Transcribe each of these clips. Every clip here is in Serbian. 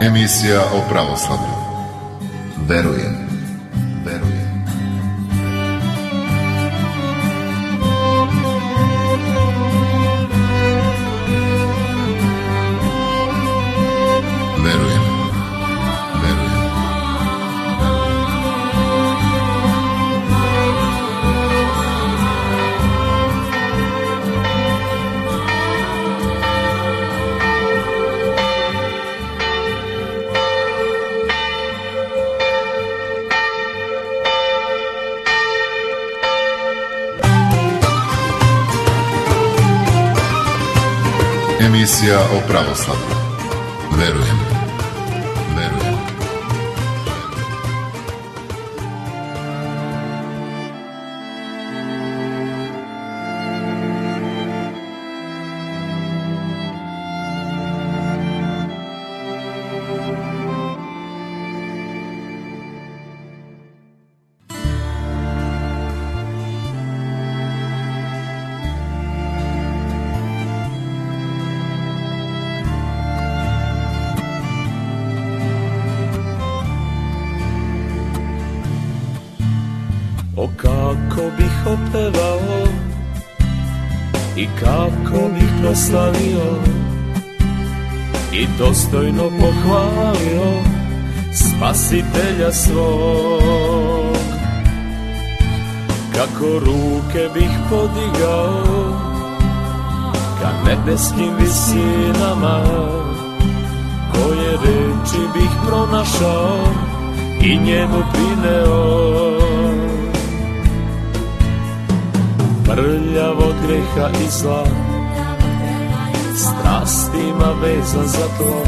Emisija o pravoslavlju. Verujem. Emisija o pravoslavlju. Verujem. O kako bih opevao i kako bih proslavio i dostojno pohvalio Spasitelja svog. Kako ruke bih podigao ka nebeskim visinama, koje reči bih pronašao i njemu prineo. Prljavo greha i zla, strastima vezan za tlo,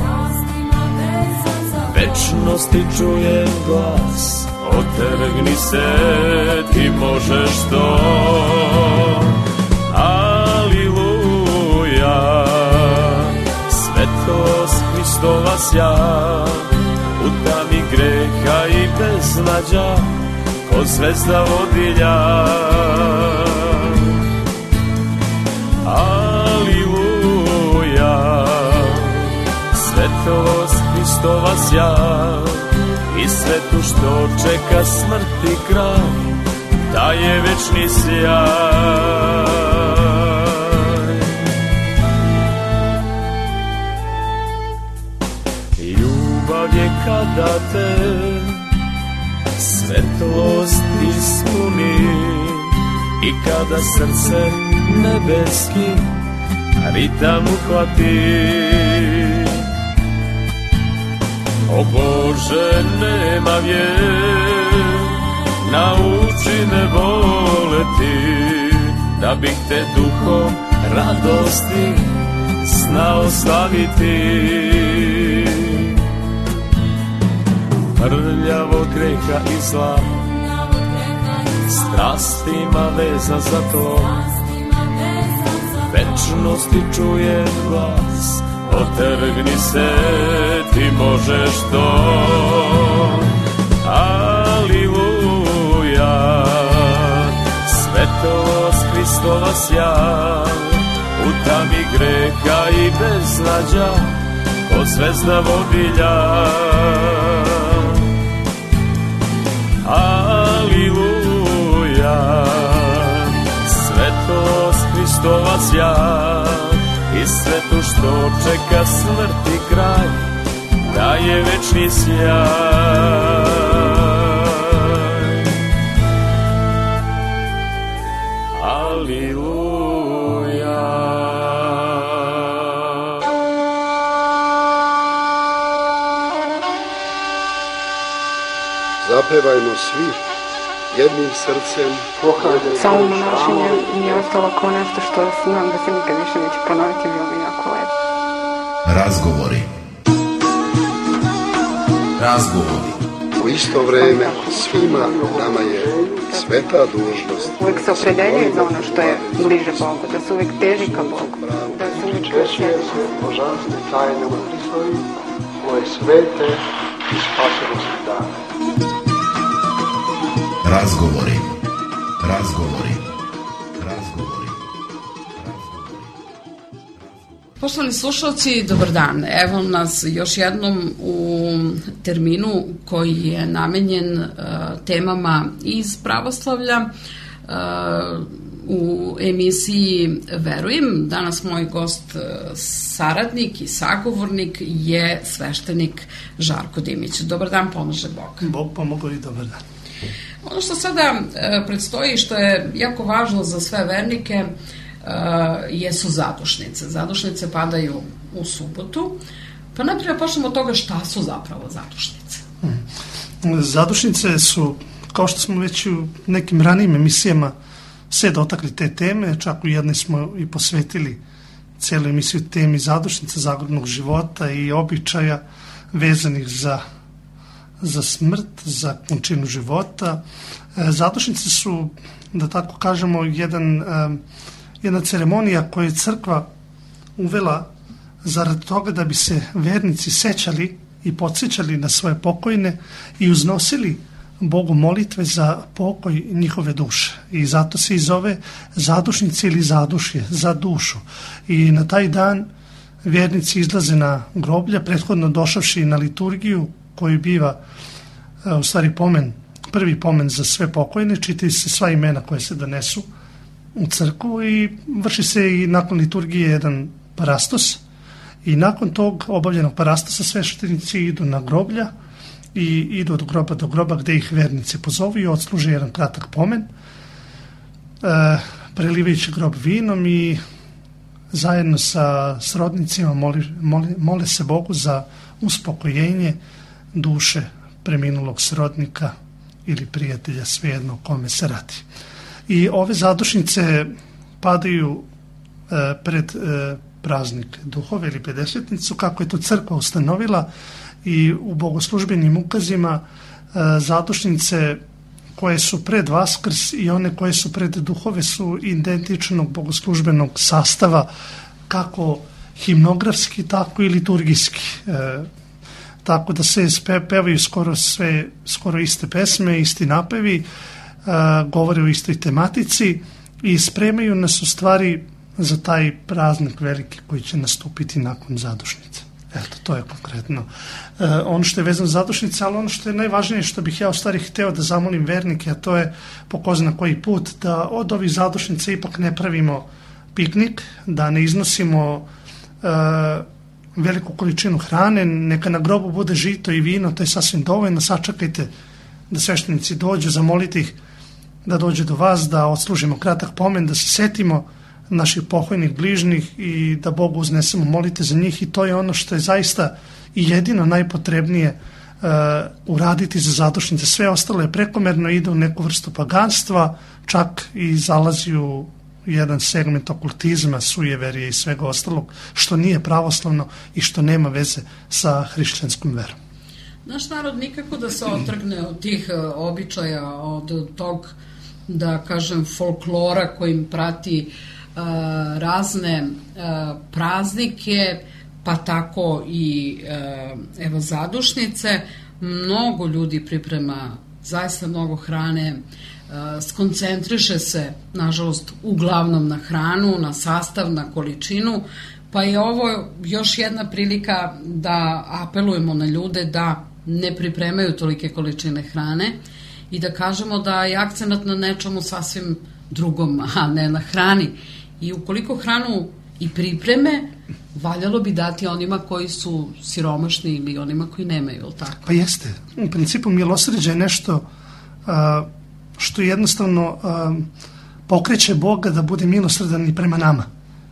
večnosti čujem glas, otrgni se, ti možeš to. Aliluja, svetlost Hristova sja, u tami greha i beznađa, ko zvezda vodilja. Aliluja, svetlost Hristova sja, i svetu što čeka smrti kraj, daje večni sjaj. Ljubav je kada te svetlost ispuni i kada srce nebeski ritam uhvati. O Bože, nema vjer, nauči me voleti, da bih te duhom radosti znao slaviti. Prljavo greha i zla, strastima vezan za to, večnosti čujem glas, otrgni se, ti možeš to. Aliluja, svetlost Hristova sja, u tami greha i beznađa, ko zvezda vodilja. Aliluja, svetlost Hristova sja, i svetu što čeka smrti kraj, daje večni sjaj. Aliluja. Zapevajmo svi jednim srcem. Samo monašenje nije ostalo kao nešto što znam da se nikad više neće ponoviti, bilo mi jako lepo. Razgovori. U isto vreme svima nama je sveta dužnost. Uvijek se opredeljuje za ono što je bliže Bogu, da se uvijek teži ka Bogu, da se uvijek Učestvuje se božanstve tajne u Hristovi, koje svete i spasonosne dane. Razgovori. Poštovani slušalci, dobar dan. Evo nas još jednom u terminu koji je namenjen temama iz pravoslavlja u emisiji Verujem. Danas moj gost, saradnik i sagovornik je sveštenik Žarko Dimić. Dobar dan, pomaže Bog. Bog pomogao i dobar dan. Ono što sada predstoji, što je jako važno za sve vernike, jesu zadušnice. Zadušnice padaju u subotu. Pa najprije počnemo od toga šta su zapravo zadušnice. Zadušnice su, kao što smo već u nekim ranijim emisijama sve dotakli te teme, čak u jednoj smo i posvetili cijelu emisiju temi zadušnica, zagrobnog života i običaja vezanih za smrt, za končinu života. Zadušnice su, da tako kažemo, jedna ceremonija koju je crkva uvela zarad toga da bi se vernici sećali i podsjećali na svoje pokojne i uznosili Bogu molitve za pokoj njihove duše. I zato se i zove zadušnice ili zadušje, za dušu. I na taj dan vjernici izlaze na groblja, prethodno došavši na liturgiju koju biva u stvari prvi pomen za sve pokojne, čitaju se sva imena koje se donesu u crkvu i vrši se i nakon liturgije jedan parastos i nakon tog obavljenog parastosa sveštenici idu na groblja i idu od groba do groba gde ih vernici pozovu i odsluže jedan kratak pomen, prelivajući grob vinom i zajedno sa srodnicima mole se Bogu za uspokojenje duše preminulog srodnika ili prijatelja, svejedno o kome se radi. I ove zadušnice padaju pred praznik duhove ili pedesetnicu, kako je to crkva ustanovila, i u bogoslužbenim ukazima zadušnice koje su pred Vaskrs i one koje su pred duhove su identičnog bogoslužbenog sastava, kako himnografski, tako i liturgijski. Tako da se pevaju skoro iste pesme, isti napevi, govore o istoj tematici i spremaju nas u stvari za taj praznik veliki koji će nastupiti nakon zadušnice. Eto, to je konkretno ono što je vezano za zadušnice, ali ono što je najvažnije, što bih ja u stvari hteo da zamolim vernike, a to je po ko zna koji put, da od ovih zadušnice ipak ne pravimo piknik, da ne iznosimo veliku količinu hrane, neka na grobu bude žito i vino, to je sasvim dovoljno. Sačekajte da sveštenici dođu, zamolite ih da dođe do vas, da odslužimo kratak pomen, da se setimo naših pokojnih bližnjih i da Bogu uznesemo molite za njih, i to je ono što je zaista i jedino najpotrebnije uraditi za zadušnice. Sve ostalo je prekomerno, ide u neku vrstu paganstva, čak i zalazi u jedan segment okultizma, sujeverije i svega ostalog, što nije pravoslavno i što nema veze sa hrišćanskom verom. Naš narod nikako da se otrgne od tih običaja, od tog, da kažem, folklora kojim prati razne praznike, pa tako i evo zadušnice. Mnogo ljudi priprema zaista mnogo hrane, skoncentriše se, nažalost, uglavnom na hranu, na sastav, na količinu, pa je ovo još jedna prilika da apelujemo na ljude da ne pripremaju tolike količine hrane i da kažemo da je akcenat na nečemu sasvim drugom, a ne na hrani. I ukoliko hranu i pripreme, valjalo bi dati onima koji su siromašni ili onima koji nemaju, ili tako? Pa jeste. U principu milosrđe je nešto što jednostavno pokreće Boga da bude milosrdan i prema nama.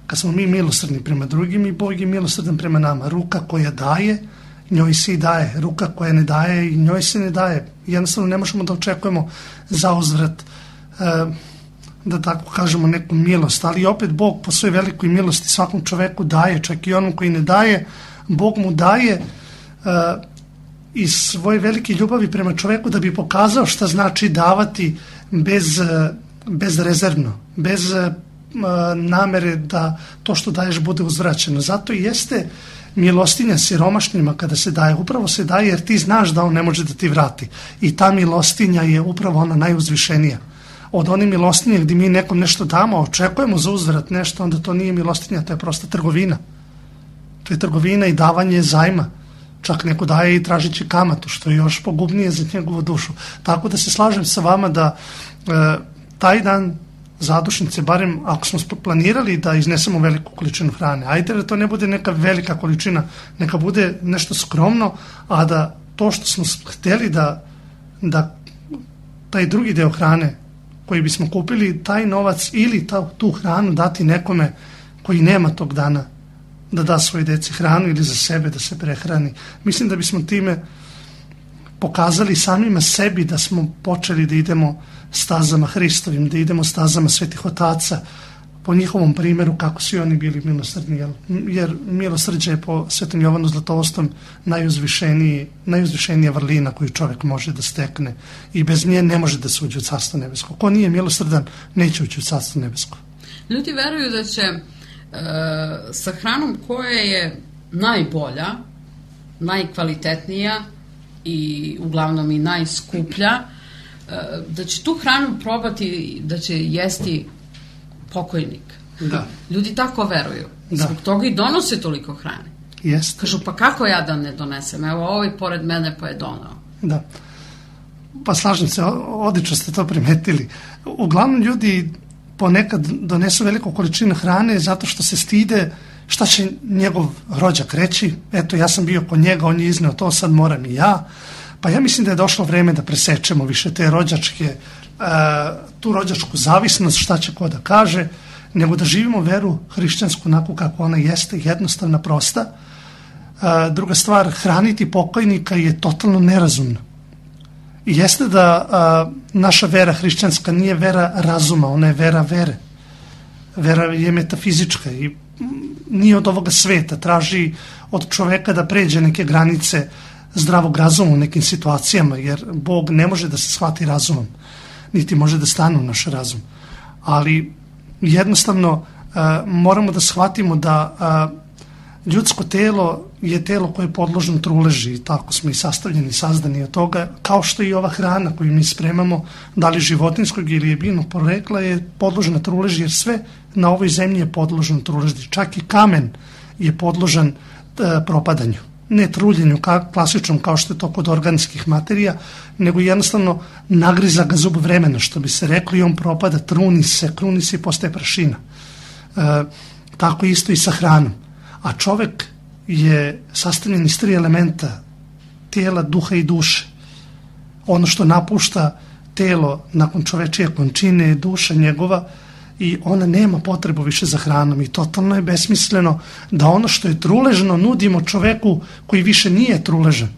Kad smo mi milosrdni prema drugim, i Bog je milosrdan prema nama. Ruka koja daje, njoj se i daje. Ruka koja ne daje, i njoj se ne daje. Jednostavno ne možemo da očekujemo zauzvrat, da tako kažemo, neku milost, ali opet Bog po svoj velikoj milosti svakom čoveku daje, čak i onom koji ne daje, Bog mu daje iz svoje velike ljubavi prema čoveku da bi pokazao šta znači davati bezrezervno, bez namere da to što daješ bude uzvraćeno. Zato i jeste milostinja siromašnima kada se daje, upravo se daje jer ti znaš da on ne može da ti vrati, i ta milostinja je upravo ona najuzvišenija. Od one milostinje gdje mi nekom nešto damo, očekujemo za uzvrat nešto, onda to nije milostinja, to je prosta trgovina. to je trgovina i davanje zajma. Čak neko daje i tražići kamatu, što je još pogubnije za njegovu dušu. Tako da se slažem sa vama da taj dan zadušnice, barem ako smo planirali da iznesemo veliku količinu hrane, ajde da to ne bude neka velika količina, neka bude nešto skromno, a da to što smo htjeli da taj drugi deo hrane koji bismo kupili, taj novac ili tu hranu dati nekome koji nema tog dana, da da svoje deci hranu ili za sebe da se prehrani. Mislim da bismo time pokazali samima sebi da smo počeli da idemo stazama Hristovim, da idemo stazama svetih otaca, po njihovom primjeru kako su oni bili milosrdni, jer milosrđe je po Svetom Jovanu Zlatoustom najuzvišenija vrlina koju čovjek može da stekne i bez nje ne može da se uđe u Carstvo nebesko. Ko nije milosrdan, neće ući u Carstvo nebesko. Ljudi veruju da će sa hranom koja je najbolja, najkvalitetnija i uglavnom i najskuplja, da će tu hranu probati, da će jesti pokojnik. Da. Ljudi tako veruju. Da. Zbog toga i donose toliko hrane. Jest. Kažu, pa kako ja da ne donesem? Evo, ovaj pored mene pa je donao. Da. Pa slažem se, odlično ste to primetili. Uglavnom ljudi ponekad donesu veliku količinu hrane zato što se stide šta će njegov rođak reći. Eto, ja sam bio kod njega, on je izneo to, sad moram i ja. Pa ja mislim da je došlo vreme da presečemo više te rođačke, tu rođačku zavisnost, šta će ko da kaže, nego da živimo veru hrišćansku onako kako ona jeste, jednostavna, prosta. Druga stvar, hraniti pokojnika je totalno nerazumno. I jeste da naša vera hrišćanska nije vera razuma, ona je vera vere. Vera je metafizička i nije od ovoga sveta, traži od čoveka da pređe neke granice zdravog razuma u nekim situacijama, jer Bog ne može da se shvati razumom, niti može da stane u naš razum. Ali jednostavno moramo da shvatimo da ljudsko telo je telo koje je podložno truleži i tako smo i sastavljeni, sazdani od toga, kao što i ova hrana koju mi spremamo, da li životinskog ili je biljnog porekla, je podložna truleži, jer sve na ovoj zemlji je podložno truleži. Čak i kamen je podložan propadanju. Ne truljenju klasičnom kao što je to kod organskih materija, nego jednostavno nagriza ga zub vremena, što bi se reklo, i on propada, kruni se i postaje prašina. Tako isto i sa hranom. A čovek je sastavljen iz 3 elementa, tijela, duha i duše. Ono što napušta telo nakon čovečije končine je duša njegova i ona nema potrebu više za hranom i totalno je besmisleno da ono što je truležno nudimo čoveku koji više nije truležan,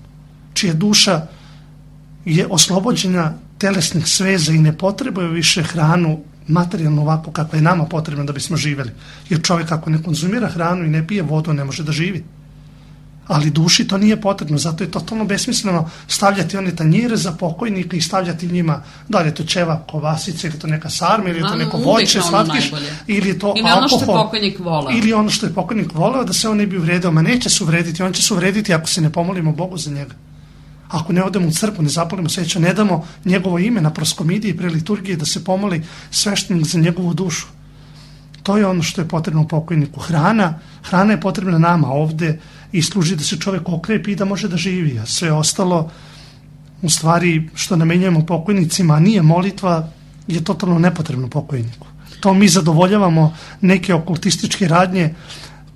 čija duša je oslobođena telesnih sveza i ne potrebuje više hranu materijalno ovako kako je nama potrebno da bismo živjeli. Jer čovjek ako ne konzumira hranu i ne pije vodu ne može da živi. Ali duši to nije potrebno, zato je totalno besmisleno stavljati one tanjire za pokojnika i stavljati njima, da li je to ćeva, kovasice, ili to neka sarma, ili je to neko voće, slatkiš, ili je to ili alkohol. Ono što je pokojnik voleo. Ili ono što je pokojnik voleo, da se on ne bi uvredio. Ma neće se uvrediti, on će se uvrediti ako se ne pomolimo Bogu za njega. Ako ne odemo u crkvu, ne zapalimo sveću, ne damo njegovo ime na proskomidiji pre liturgije da se pomoli sveštenik za njegovu dušu. To je ono što je potrebno pokojniku. Hrana je potrebna nama ovde i služi da se čovjek okrepi i da može da živi. A sve ostalo, u stvari, što namenjujemo pokojnicima, a nije molitva, je totalno nepotrebno pokojniku. To mi zadovoljavamo neke okultističke radnje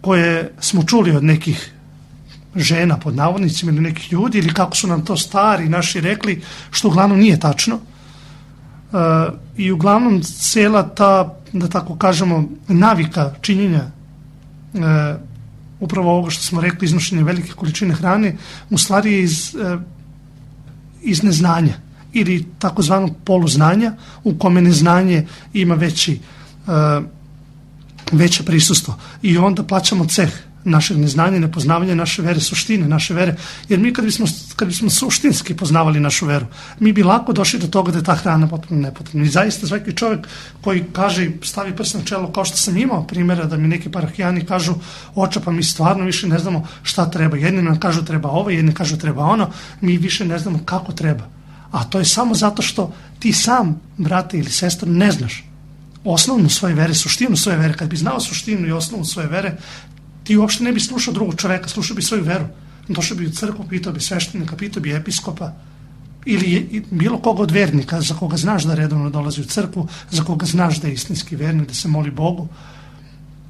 koje smo čuli od nekih žena, pod navodnicima, ili nekih ljudi, ili kako su nam to stari naši rekli, što uglavnom nije tačno. I uglavnom cijela ta, da tako kažemo, navika činjenja upravo ovoga što smo rekli, iznošenje velike količine hrane, u stvari je iz neznanja ili takozvanog poluznanja, u kome neznanje ima veće prisustvo. I onda plaćamo ceh našeg neznanja, nepoznavanja naše vere, suštine naše vere. Jer mi kad bismo suštinski poznavali našu veru, mi bi lako došli do toga da je ta hrana potpuno nepotrebna. I zaista svaki čovjek koji kaže, stavi prst na čelo, kao što sam imao primjera da mi neki parahijani kažu, oče, pa mi stvarno više ne znamo šta treba. Jedni nam kažu treba ovo, jedni kažu treba ono, mi više ne znamo kako treba. A to je samo zato što ti sam, brate ili sestra, ne znaš osnovnu svoje vere, suštinu svoje vere. Kad bi znao suštinu i osnovu svoje vere, ti uopšte ne bi slušao drugog čoveka, slušao bi svoju veru. Došao bi u crkvu, pitao bi sveštenika, pitao bi episkopa ili bilo koga od vernika za koga znaš da redovno dolazi u crkvu, za koga znaš da je istinski vernik, da se moli Bogu,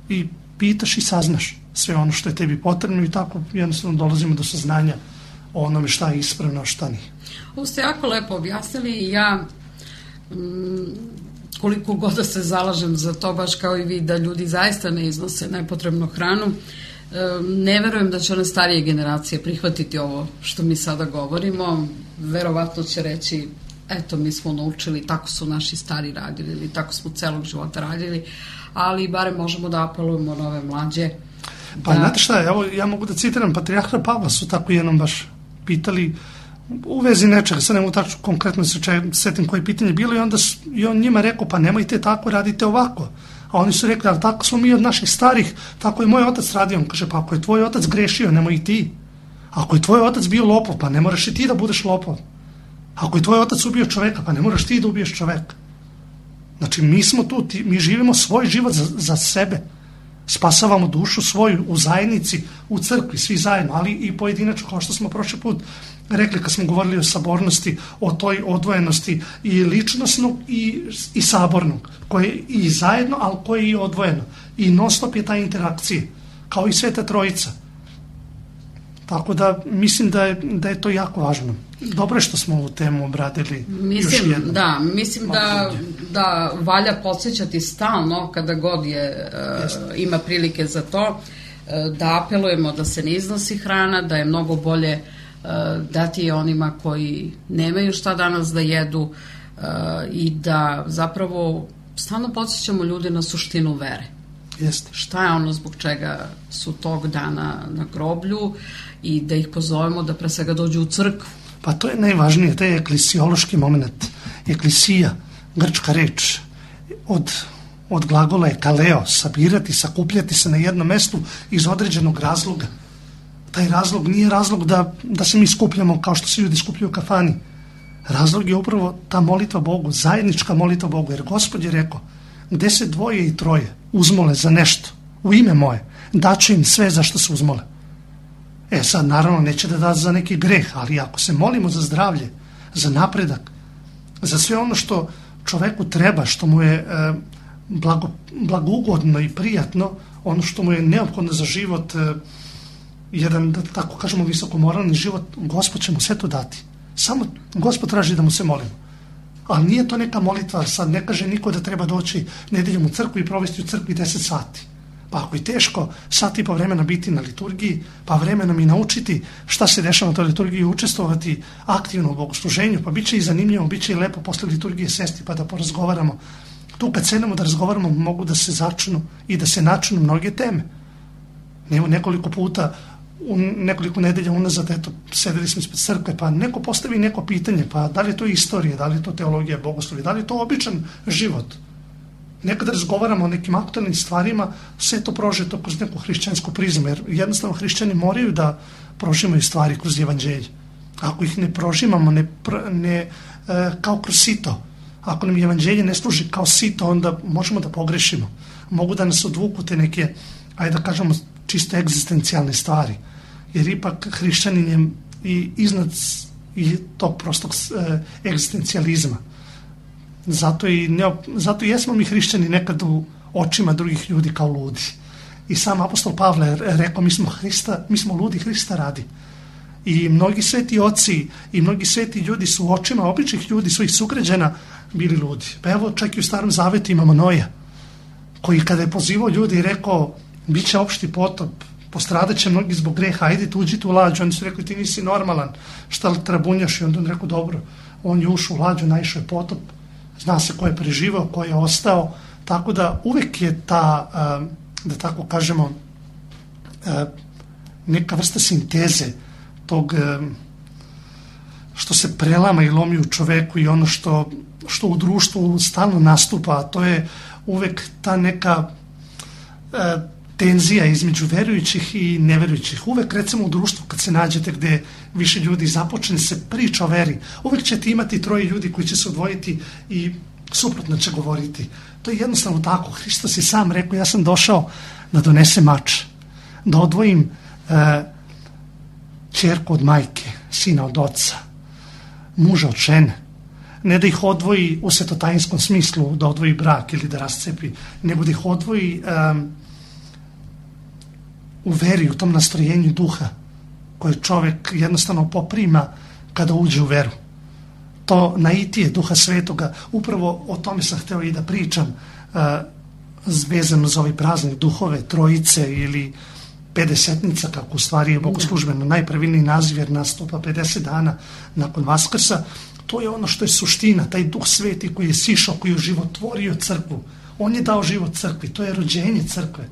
i pitaš i saznaš sve ono što je tebi potrebno i tako jednostavno dolazimo do saznanja o onome šta je ispravno, a šta nije. Ovo ste jako lepo objasnili i ja koliko god da se zalažem za to, baš kao i vi, da ljudi zaista ne iznose nepotrebnu hranu, ne verujem da će one starije generacije prihvatiti ovo što mi sada govorimo. Verovatno će reći, eto, mi smo naučili, tako su naši stari radili ili tako smo celog života radili, ali barem možemo da apelujemo na ove mlađe. Pa znate šta, evo ja mogu da citiram Patrijarha Pavla, su tako jednom baš pitali u vezi nečega, sad ne mogu tako konkretno se setim koje pitanje bilo, i on njima rekao, pa nemojte tako, radite ovako. A oni su rekli, ali tako smo mi od naših starih, tako je moj otac radio. On kaže, pa ako je tvoj otac grešio, nemoj i ti. Ako je tvoj otac bio lopov, pa ne moraš i ti da budeš lopov. Ako je tvoj otac ubio čoveka, pa ne moraš ti da ubiješ čoveka. Znači, mi smo tu, mi živimo svoj život za sebe. Spasavamo dušu svoju u zajednici, u crkvi, svi zajedno, ali i pojedinačno, kao što smo prošli put rekli kad smo govorili o sabornosti, o toj odvojenosti i ličnosnog i sabornog, koje je i zajedno, ali koje je i odvojeno. I non stop je ta interakcija, kao i Sveta Trojica. Tako da mislim da je to jako važno. Dobro je što smo ovu temu obradili još jednom. Da, mislim da valja podsjećati stalno kada god ima prilike za to, da apelujemo da se ne iznosi hrana, da je mnogo bolje dati je onima koji nemaju šta danas da jedu i da zapravo stalno podsjećamo ljude na suštinu vere. Jeste. Šta je ono zbog čega su tog dana na groblju i da ih pozovemo da pre svega dođu u crkvu. Pa to je najvažnije, to je eklesiološki moment. Eklisija, grčka reč, od glagola je kaleo, sabirati, sakupljati se na jednom mestu iz određenog razloga. Taj razlog nije razlog da se mi skupljamo kao što se ljudi skupljaju u kafani. Razlog je upravo ta molitva Bogu, zajednička molitva Bogu, jer Gospod je rekao, gde se dvoje i troje uzmole za nešto, u ime moje, daće im sve za što se uzmole. Sad naravno neće da da za neki greh, ali ako se molimo za zdravlje, za napredak, za sve ono što čoveku treba, što mu je blagougodno i prijatno, ono što mu je neophodno za život, jedan, da tako kažemo, visokomoralni život, Gospod će mu sve to dati. Samo Gospod traži da mu se molimo. Ali nije to neka molitva, sad ne kaže niko da treba doći nedeljom u crkvu i provesti u crkvi 10 sati. Pa ako je teško sat i po vremena biti na liturgiji, pa vremenom i naučiti šta se dešava na toj liturgiji i učestvovati aktivno u bogosluženju, pa bit će i zanimljivo, bit će i lepo posle liturgije sesti pa da porazgovaramo. Tu kad sedemo da razgovaramo mogu da se začnu i da se načnu mnoge teme. Nekoliko puta, u nekoliko nedelja unazad, eto, sedeli smo ispred crkve, pa neko postavi neko pitanje, pa da li je to istorija, da li je to teologija, bogoslovje, da li je to običan život. Nekada razgovaramo o nekim aktualnim stvarima, sve to prožeto kroz neku hrišćansku prizmu, jer jednostavno hrišćani moraju da prožimaju stvari kroz evanđelje. Ako ih ne prožimamo kao kroz sito, ako nam evanđelje ne služi kao sito, onda možemo da pogrešimo. Mogu da nas odvuku te neke, ajde da kažemo, čisto egzistencijalne stvari, jer ipak hrišćanin je i iznad i tog prostog egzistencijalizma. Zato i jesmo mi hrišćani nekad u očima drugih ljudi kao ludi. I sam apostol Pavle je rekao, mi smo ludi Hrista radi. I mnogi sveti oci i mnogi sveti ljudi su u očima običnih ljudi, svojih sugrađana, bili ludi. Pa evo, čak i u Starom Zavetu imamo Noja, koji kada je pozivao ljudi i rekao, bit će opšti potop, postradat će mnogi zbog greha, ajde uđite u lađu. Oni su rekli, ti nisi normalan, šta li trabunjaš? I onda on rekao, dobro, on je ušao u lađu, naišao je potop, zna se ko je preživao, ko je ostao, tako da uvek je ta, da tako kažemo, neka vrsta sinteze tog što se prelama i lomi u čoveku i ono što u društvu stalno nastupa, a to je uvek ta neka tenzija između verujućih i neverujućih. Uvek, recimo, u društvu kad se nađete gde više ljudi započne se priča o veri, uvek ćete imati troje ljudi koji će se odvojiti i suprotno će govoriti. To je jednostavno tako. Hristos je sam rekao, ja sam došao da donese mač, da odvojim ćerku od majke, sina od oca, muža od žene. Ne da ih odvoji u svetotajinskom smislu, da odvoji brak ili da rascepi, nego da ih odvoji u veri, u tom nastrojenju duha koje čovjek jednostavno poprima kada uđe u veru. To naitije duha svetoga, upravo o tome sam hteo i da pričam, vezano za ovaj praznik duhove trojice ili pedesetnica, kako u stvari je bogoslužbeno najpravilniji naziv, jer nastupa 50 dana nakon Vaskrsa. To je ono što je suština, taj duh sveti koji je sišao, koji je oživotvorio crkvu. On je dao život crkvi, to je rođenje crkve.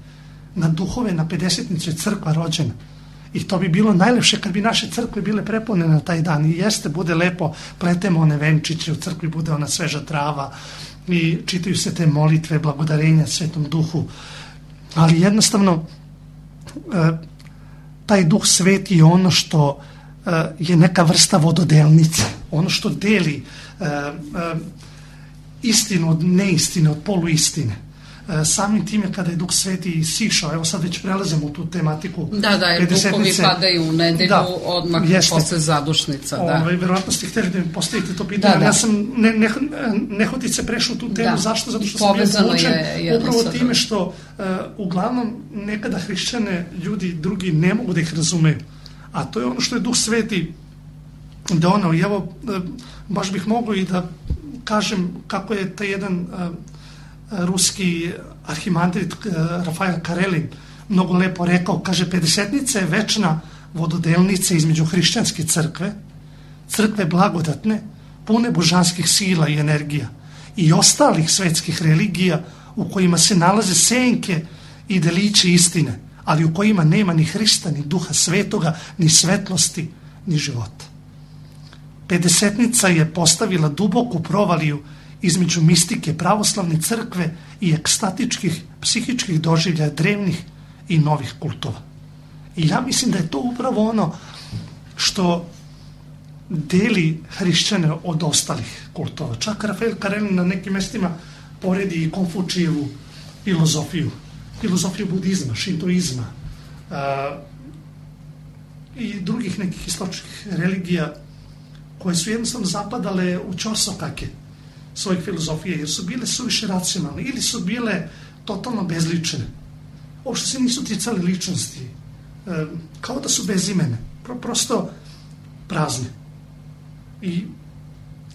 Na duhove, na pedesetnicu je crkva rođena. I to bi bilo najlepše kad bi naše crkve bile prepune na taj dan. I jeste, bude lepo, pletemo one venčiće, u crkvi bude ona sveža trava i čitaju se te molitve, blagodarenja Svetom Duhu. Ali jednostavno, taj duh sveti je ono što je neka vrsta vododelnice, ono što deli istinu od neistine, od poluistine. Samim time kada je duh sveti sišao, evo sad već prelazimo u tu tematiku. Da, jer duhovi padaju u nedelju, odmah posle zadušnica. Verovatno ste htjeli da mi postavite to pitanje, ali ja sam nehotice prešao tu temu. Zašto? Zato što sam bio povučen upravo time što uglavnom nekada hrišćane ljudi drugi ne mogu da ih razumeju. A to je ono što je duh sveti donao. I evo, baš bih mogao i da kažem kako je taj jedan ruski arhimandrit Rafael Karelin mnogo lepo rekao, kaže, pedesetnica je večna vododelnica između hrišćanske crkve, crkve blagodatne, pune božanskih sila i energija, i ostalih svetskih religija u kojima se nalaze senke i delići istine, ali u kojima nema ni Hrista, ni duha svetoga, ni svetlosti, ni života. Pedesetnica je postavila duboku provaliju između mistike pravoslavne crkve i ekstatičkih psihičkih doživljaja drevnih i novih kultova. I ja mislim da je to upravo ono što deli hrišćane od ostalih kultova. Čak Rafael Karelin na nekim mestima poredi i Konfučijevu filozofiju budizma, šintoizma i drugih nekih istočnih religija koje su jednostavno zapadale u ćorsokake svojih filozofije, jer su bile suviše racionalne ili su bile totalno bezlične. Uopšte se nisu ticale ličnosti, kao da su bezimene, prosto prazne. I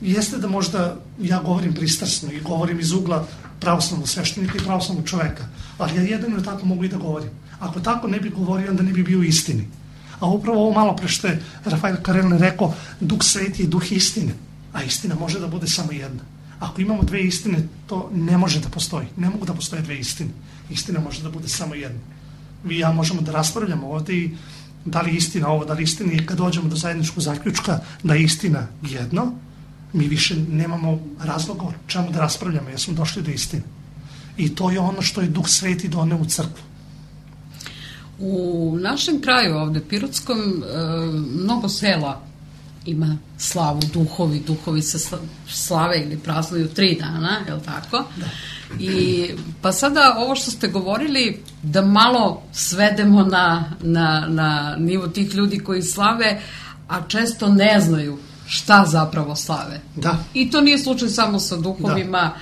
jeste da možda ja govorim pristrasno i govorim iz ugla pravoslavnog sveštenika i pravoslavnog čoveka, ali ja jedino tako mogu i da govorim. Ako tako ne bi govorio, onda ne bi bio u istini. A upravo ovo malo pre što je Rafael Karelin rekao, duh sveti je duh istine, a istina može da bude samo jedna. Ako imamo dve istine, to ne može da postoji. Ne mogu da postoje dve istine. Istina može da bude samo jedna. Vi i ja možemo da raspravljamo ovde i da li istina ovo, da li istina, i kad dođemo do zajedničkog zaključka da je istina jedno, mi više nemamo razloga o čemu da raspravljamo, jer smo došli do istine. I to je ono što je duh sveti doneo u crkvu. U našem kraju ovde, Pirotskom, mnogo sela ima slavu, duhovi se slave ili praznuju 3 dana, je li tako? Da. I pa sada ovo što ste govorili, da malo svedemo na nivo tih ljudi koji slave, a često ne znaju šta zapravo slave. Da. I to nije slučaj samo sa duhovima,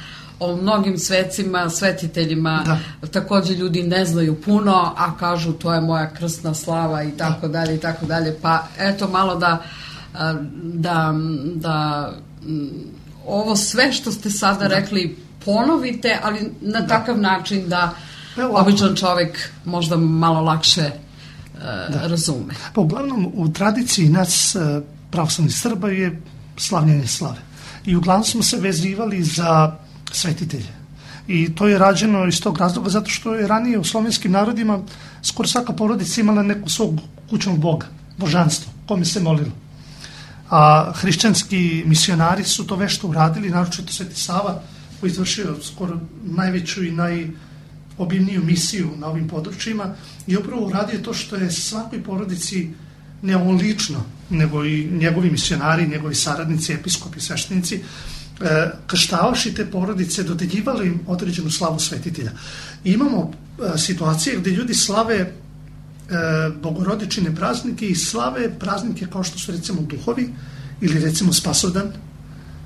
o mnogim svecima, svetiteljima, takođe ljudi ne znaju puno, a kažu to je moja krstna slava i tako dalje i tako dalje. Pa eto malo da ovo sve što ste sada rekli ponovite, ali na takav način da običan čovjek možda malo lakše razume. Pa uglavnom u tradiciji nas pravoslavnih Srba je slavljenje slave. I uglavnom smo se vezivali za svetitelje. I to je rađeno iz tog razloga zato što je ranije u slovenskim narodima skoro svaka porodica imala neku svog kućnog boga, božanstvo, kome se molilo. A hrišćanski misionari su to vešto uradili, naročito Sveti Sava, koji izvršio skoro najveću i najobimniju misiju na ovim područjima, i upravo uradio to što je svakoj porodici, ne on lično, nego i njegovi misionari, njegovi saradnici, episkopi, sveštenici, krštavaši te porodice, dodeljivali im određenu slavu svetitelja. I imamo situacije gde ljudi slave bogorodičine praznike i slave praznike kao što su recimo duhovi ili recimo Spasovdan,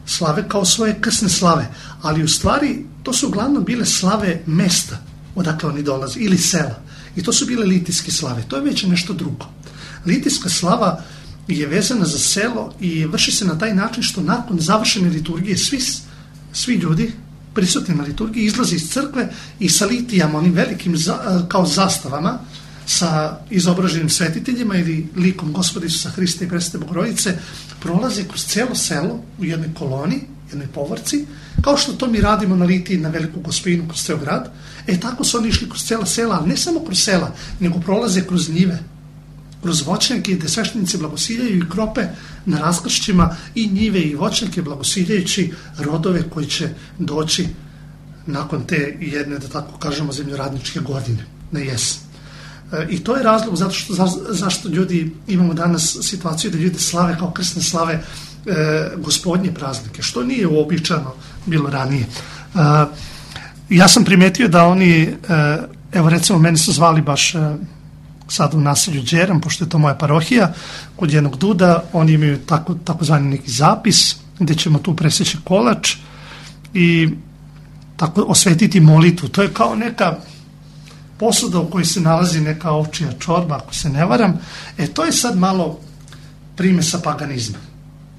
slave kao svoje krsne slave, ali u stvari to su uglavnom bile slave mesta odakle oni dolaze ili sela i to su bile litijske slave, to je već nešto drugo. Litijska slava je vezana za selo i vrši se na taj način što nakon završene liturgije svi ljudi prisutni na liturgiji izlaze iz crkve i sa litijama, onim velikim kao zastavama sa izobraženim svetiteljima ili likom Gospoda Isusa Hrista i Presvete Bogorodice prolaze kroz celo selo u jednoj koloni, jednoj povorci, kao što to mi radimo na litiji na Veliku Gospinu kroz ceo grad. Tako su oni išli kroz cela sela, ali ne samo kroz sela, nego prolaze kroz njive, kroz voćnjake gde sveštenici blagosiljaju i krope na raskršćima i njive i voćnjake blagosiljajući rodove koji će doći nakon te jedne, da tako kažemo, zemljoradničke godine na jesen. I to je razlog zašto ljudi imamo danas situaciju da ljudi slave kao krsne slave gospodnje praznike, što nije uobičajeno bilo ranije. Ja sam primetio da oni, evo recimo mene su zvali baš sad u naselju Đeram, pošto je to moja parohija, kod jednog duda, oni imaju takozvani neki zapis gde ćemo tu preseći kolač i tako osvetiti molitvu. To je kao neka posuda u kojoj se nalazi neka ovčija čorba, ako se ne varam. To je sad malo primesa paganizma.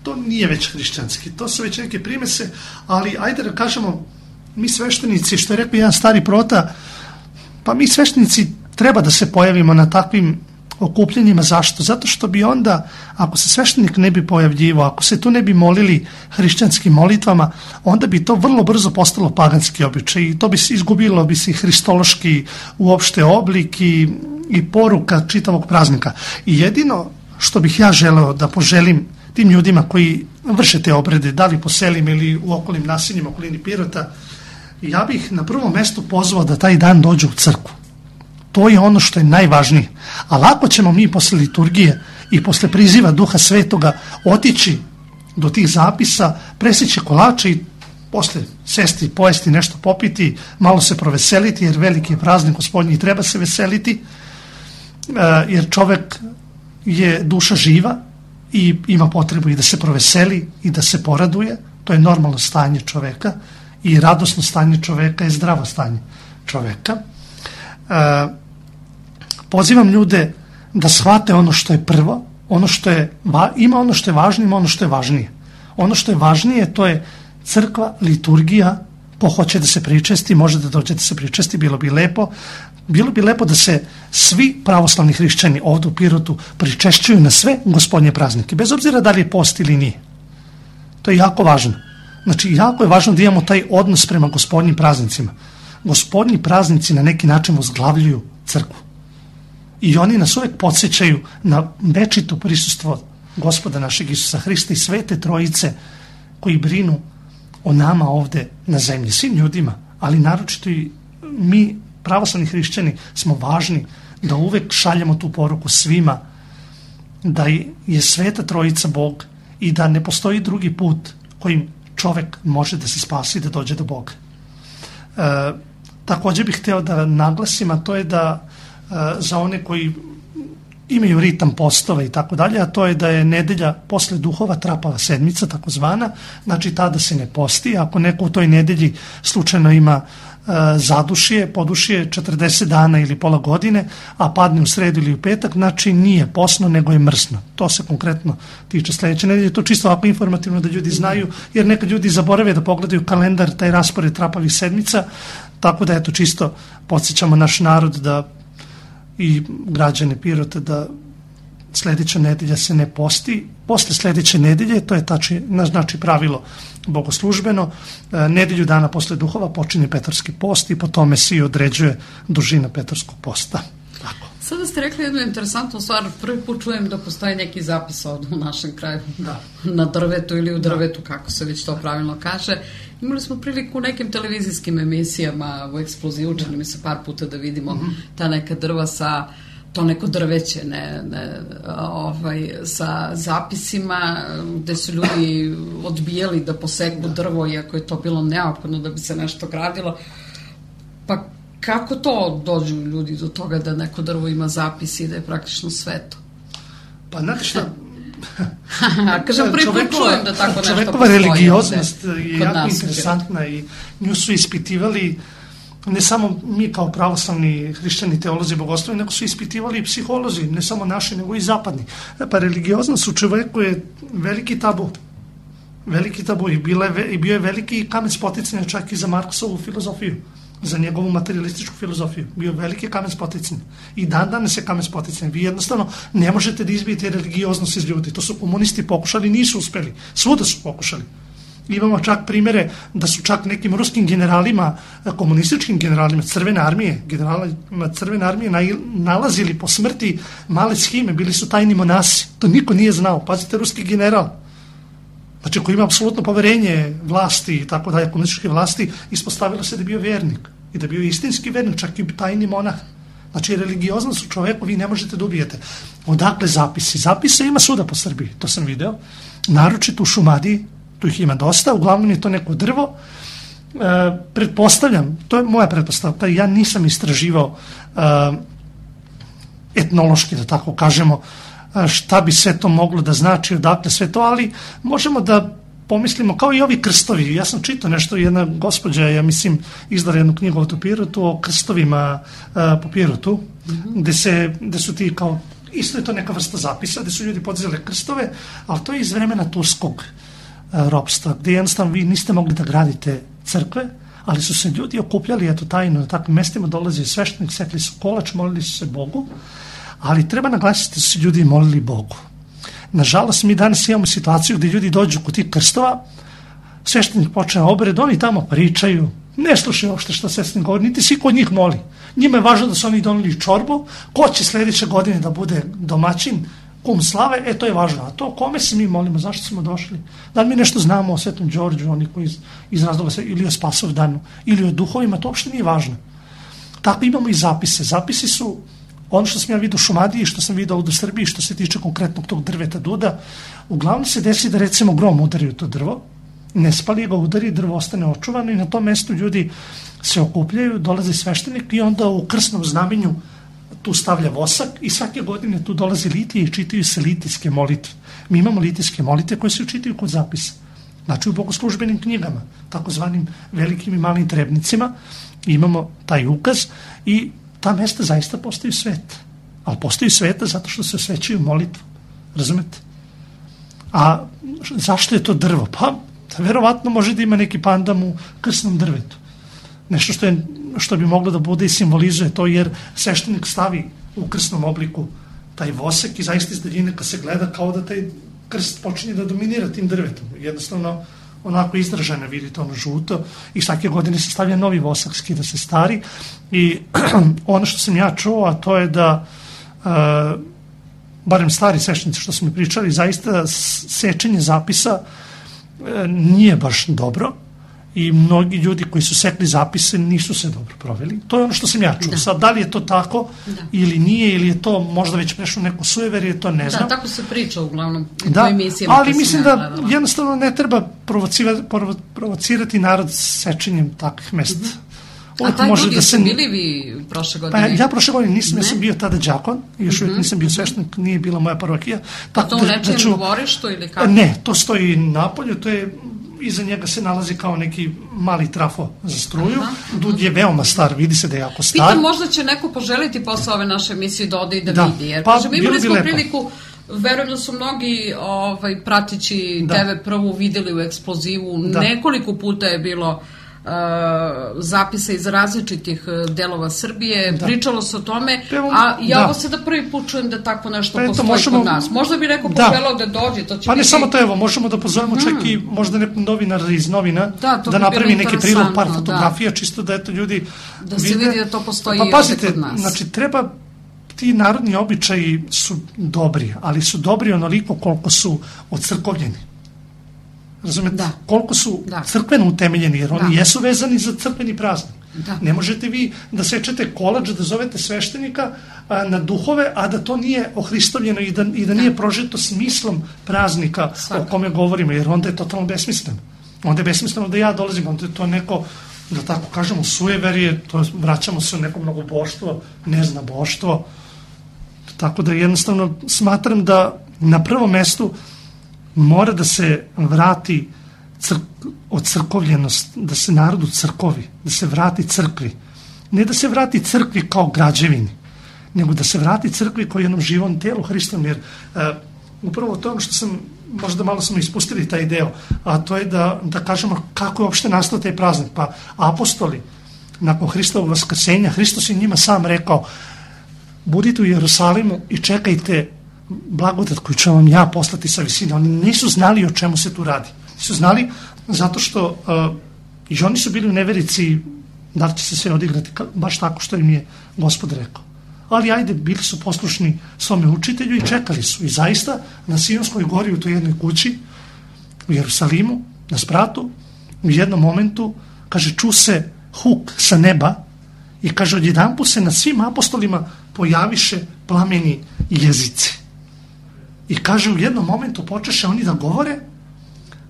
To nije već hrišćanski, to su već neke primese, ali ajde da kažemo, mi sveštenici, što je rekao jedan stari prota, pa mi sveštenici treba da se pojavimo na takvim okupljenjima. Zašto? Zato što bi onda, ako se sveštenik ne bi pojavljivao, ako se tu ne bi molili hrišćanskim molitvama, onda bi to vrlo brzo postalo paganski običaj i to bi se izgubilo, bi se hristološki uopšte oblik i poruka čitavog praznika. I jedino što bih ja želeo da poželim tim ljudima koji vrše te obrede, da li po selima ili u okolnim naseljima, okolini Pirota, ja bih na prvom mestu pozvao da taj dan dođu u crkvu. To je ono što je najvažnije. Ali ako ćemo mi posle liturgije i posle priziva Duha Svetoga otići do tih zapisa, preseći kolače i posle sesti, pojesti, nešto popiti, malo se proveseliti, jer veliki je praznik Gospodnji i treba se veseliti, jer čovek je duša živa i ima potrebu i da se proveseli i da se poraduje. To je normalno stanje čoveka i radosno stanje čoveka je zdravo stanje čoveka. Pozivam ljude da shvate ono što je prvo, ima ono što je važno, ima ono što je važnije. Ono što je važnije, to je crkva, liturgija, ko hoće da se pričesti, može da dođe da se pričesti, bilo bi lepo da se svi pravoslavni hrišćani ovdje u Pirotu pričešćuju na sve Gospodnje praznike, bez obzira da li je post ili nije. To je jako važno. Znači, jako je važno da imamo taj odnos prema Gospodnjim praznicima. Gospodnji praznici na neki način uzglavljuju crkvu. I oni nas uvek podsjećaju na večito prisustvo Gospoda našeg Isusa Hrista i Svete Trojice koji brinu o nama ovde na zemlji, svim ljudima, ali naročito i mi, pravoslavni hrišćani, smo važni da uvek šaljemo tu poruku svima da je Sveta Trojica Bog i da ne postoji drugi put kojim čovek može da se spasi i da dođe do Boga. Također bih hteo da naglasim, a to je da za one koji imaju ritam postova i tako dalje, a to je da je nedelja posle duhova trapava sedmica, takozvana, znači tada se ne posti. Ako neko u toj nedelji slučajno ima zadušje, podušje 40 dana ili pola godine, a padne u sredu ili u petak, znači nije posno, nego je mrsno. To se konkretno tiče sledeće nedelje. To čisto ovako informativno da ljudi znaju, jer nekad ljudi zaborave da pogledaju kalendar, taj raspored trapavih sedmica, tako da eto čisto podsjećamo naš narod da i građane Pirota da sledeća nedelja se ne posti. Posle sledeće nedelje, to je znači pravilo bogoslužbeno, nedelju dana posle duhova počinje Petarski post i po tome se i određuje dužina Petarskog posta. Tako. Sada ste rekli jednu interesantnu stvar, prvi put čujem da postoji neki zapis ovdje u našem kraju, na drvetu ili u drvetu, kako se već to pravilno kaže. Imali smo priliku u nekim televizijskim emisijama, u Eksploziju, čini mi se par puta da vidimo ta neka drva sa, to neko drveće, sa zapisima gde su ljudi odbijali da poseku drvo, iako je to bilo neophodno da bi se nešto gradilo. Pa Kako to dođu ljudi do toga da neko drvo ima zapis i da je praktično sveto? Pa znate šta, kažem, prvi put čujem da tako nešto čovekova postoji. religioznost je jako interesantna i nju su ispitivali ne samo mi kao pravoslavni hrišćani, teolozi, bogoslovi, nego su ispitivali i psiholozi, ne samo naši, nego i zapadni. Pa religioznost u čoveku je veliki tabu. Veliki tabu i bio je veliki kamen spoticanja čak i za Marksovu filozofiju, za njegovu materialističku filozofiju. Bio veliki kamen spoticanja. I dan danas je kamen spoticanja. Vi jednostavno ne možete da izbijete religioznost iz ljudi. To su komunisti pokušali, nisu uspeli. Svuda su pokušali. Imamo čak primere da su čak nekim ruskim generalima, komunističkim generalima Crvene armije, generalima Crvene armije nalazili po smrti male shime, bili su tajni monasi. To niko nije znao. Pazite, ruski general. Znači, koji ima apsolutno poverenje vlasti i tako dalje, komunističke vlasti, ispostavilo se da je bio vernik i da je bio istinski vernik, čak i tajni monah. Znači, religioznost u čoveku vi ne možete da ubijete. Odakle zapisi? Zapise ima svuda po Srbiji, to sam video. Naročito u Šumadiji, tu ih ima dosta, uglavnom je to neko drvo. Pretpostavljam, to je moja pretpostavka, ja nisam istraživao etnološki, da tako kažemo, šta bi sve to moglo da znači, odakle sve to, ali možemo da pomislimo, kao i ovi krstovi. Ja sam čitao nešto, jedna gospođa, ja mislim, izdala jednu knjigu o Pirotu, o krstovima po Pirotu, gde su ti kao, isto je to neka vrsta zapisa, gde su ljudi podizali krstove, ali to je iz vremena turskog ropstva, gde jednostavno vi niste mogli da gradite crkve, ali su se ljudi okupljali, eto tajno, na takvim mestima dolazi sveštenik, sekli su kolač, molili su se Bogu, ali treba naglasiti da su se ljudi molili Bogu. Nažalost, mi danas imamo situaciju gdje ljudi dođu kod tih krstova, sveštenik počne obred, oni tamo pričaju, ne slušaju uopšte što sveštenik govori, niti svi kod njih moli. Njima je važno da su oni doneli čorbu, ko će sljedeće godine da bude domaćin, kum slave, to je važno. A to kome se mi molimo, zašto smo došli? Da li mi nešto znamo o Svetom Đorđu, oni koji iz razloga se, ili o Spasovdanu, ili o duhovima, to uopšte nije važno. Tako imamo i zapise. Zapisi su ono što sam ja vidio u Šumadiji, što sam vidio ovdje u Srbiji, što se tiče konkretnog tog drveta duda, uglavnom se desi da recimo grom udari u to drvo, ne spali ga, udari, drvo ostane očuvano i na tom mjestu ljudi se okupljaju, dolazi sveštenik i onda u krsnom znamenju tu stavlja vosak i svake godine tu dolazi litije i čitaju se litijske molitve. Mi imamo litijske molitve koje se učitaju kod zapisa. Znači u bogoslužbenim knjigama, takozvanim velikim i malim trebnicima, imamo taj ukaz i ta mjesta zaista postaju sveta. Ali postaju sveta zato što se osvećaju molitvom. Razumete? A zašto je to drvo? Pa, verovatno može da ima neki pandam u krsnom drvetu. Nešto što bi moglo da bude i simbolizuje to, jer sveštenik stavi u krsnom obliku taj vosak i zaista iz daljine kad se gleda kao da taj krst počinje da dominira tim drvetom. Jednostavno, onako izraženo, vidite, ono žuto i svake godine se stavlja novi vosak, skida se stari i ono što sam ja čuo, a to je da barem stari sveštenici što smo mi pričali, zaista sečenje zapisa nije baš dobro i mnogi ljudi koji su sekli zapise nisu se dobro proveli. To je ono što sam ja čuo. Sad, da li je to tako ili nije, ili je to možda već prešlo neko sujeverje, to ne znam. Da, tako se priča uglavnom u da, emisijama. Ali mislim da jednostavno ne treba provocirati narod sečenjem takvih mesta. A taj ljudi su bili vi prošle godine? Pa ja prošle godine nisam, ja sam bio tada đakon, još uvijek nisam bio sveštenik, nije bila moja parohija. A to u nečijem dvorištu ili kako? Ne, to stoji napolju, to je, iza njega se nalazi kao neki mali trafo za struju. Dud je veoma star, vidi se da je jako star. Pitam, možda će neko poželiti posle ove naše emisije da ode i da vidi, jer pa, imali smo priliku, verujem da su mnogi pratići TV Prvu vidjeli u eksplozivu, nekoliko puta je bilo zapisa iz različitih delova Srbije, pričalo se o tome, a ja ovo sada prvi put čujem da tako nešto postoji kod nas. Možda bi neko poželao da dođe, to će pa ne samo to, evo, možemo da pozovemo čak i možda nekog novinara iz novina da napravi neki prilog, par fotografija, čisto da eto ljudi da se vidi da to postoji i ovdje kod nas. Znači, treba, ti narodni običaji su dobri, ali su dobri onoliko koliko su ocrkovljeni. Razumete? Koliko su crkveno utemeljeni, jer oni jesu vezani za crkveni praznik. Ne možete vi da sečete kolač, da zovete sveštenika na duhove, a da to nije ohristovljeno i da nije prožeto smislom praznika o kome govorimo, jer onda je totalno besmisleno. Onda je besmisleno da ja dolazim, onda je to neko da tako kažemo, sujeverje, to vraćamo se u neko mnogoboštvo, neznaboštvo. Tako da jednostavno smatram da na prvom mestu mora da se vrati ocrkovljenost, da se narodu crkovi, da se vrati crkvi. Ne da se vrati crkvi kao građevini, nego da se vrati crkvi kao jednom živom telu Hristovom, jer upravo to ono što sam, možda malo smo ispustili taj deo, a to je da kažemo kako je uopšte nastao taj praznik. Pa apostoli, nakon Hristovog vaskrsenja, Hristos je njima sam rekao: budite u Jerusalimu i čekajte blagodat koju ću vam ja poslati sa visine. Oni nisu znali o čemu se tu radi. Nisu znali zato što i oni su bili u neverici da li će se sve odigrati baš tako što im je Gospod rekao. Ali ajde, bili su poslušni svome učitelju i čekali su. I zaista na Sionskoj gori u toj jednoj kući u Jerusalimu, na spratu, u jednom momentu, kaže, ču se huk sa neba i kaže, odjedanput se na svim apostolima pojaviše plameni jezici. I kaže, u jednom momentu počeše oni da govore,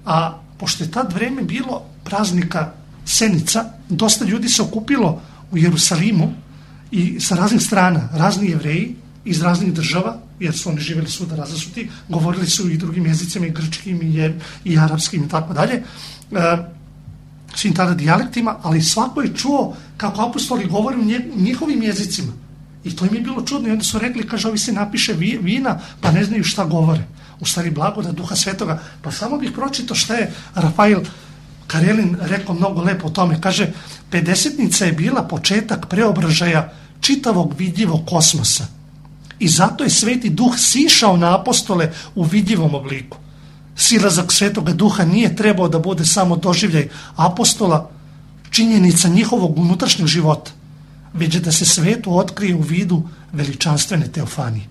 a pošto je tad vreme bilo praznika Senica, dosta ljudi se okupilo u Jerusalimu i sa raznih strana, razni Jevreji iz raznih država, jer su oni živjeli svuda razasuti, govorili su i drugim jezicima, i grčkim, i arapskim i tako dalje, svim tada dijalektima, ali svako je čuo kako apostoli govore u njihovim jezicima. I to im je bilo čudno i onda su rekli, kaže, ovi se napiše vina, pa ne znaju šta govore. U stvari blagodat Duha Svetoga. Pa samo bih pročitao šta je Rafael Karelin rekao mnogo lepo o tome. Kaže, Pedesetnica je bila početak preobražaja čitavog vidljivog kosmosa. I zato je Sveti Duh sišao na apostole u vidljivom obliku. Silazak Svetoga Duha nije trebao da bude samo doživljaj apostola, činjenica njihovog unutrašnjeg života, već da se svetu otkrije u vidu veličanstvene teofanije.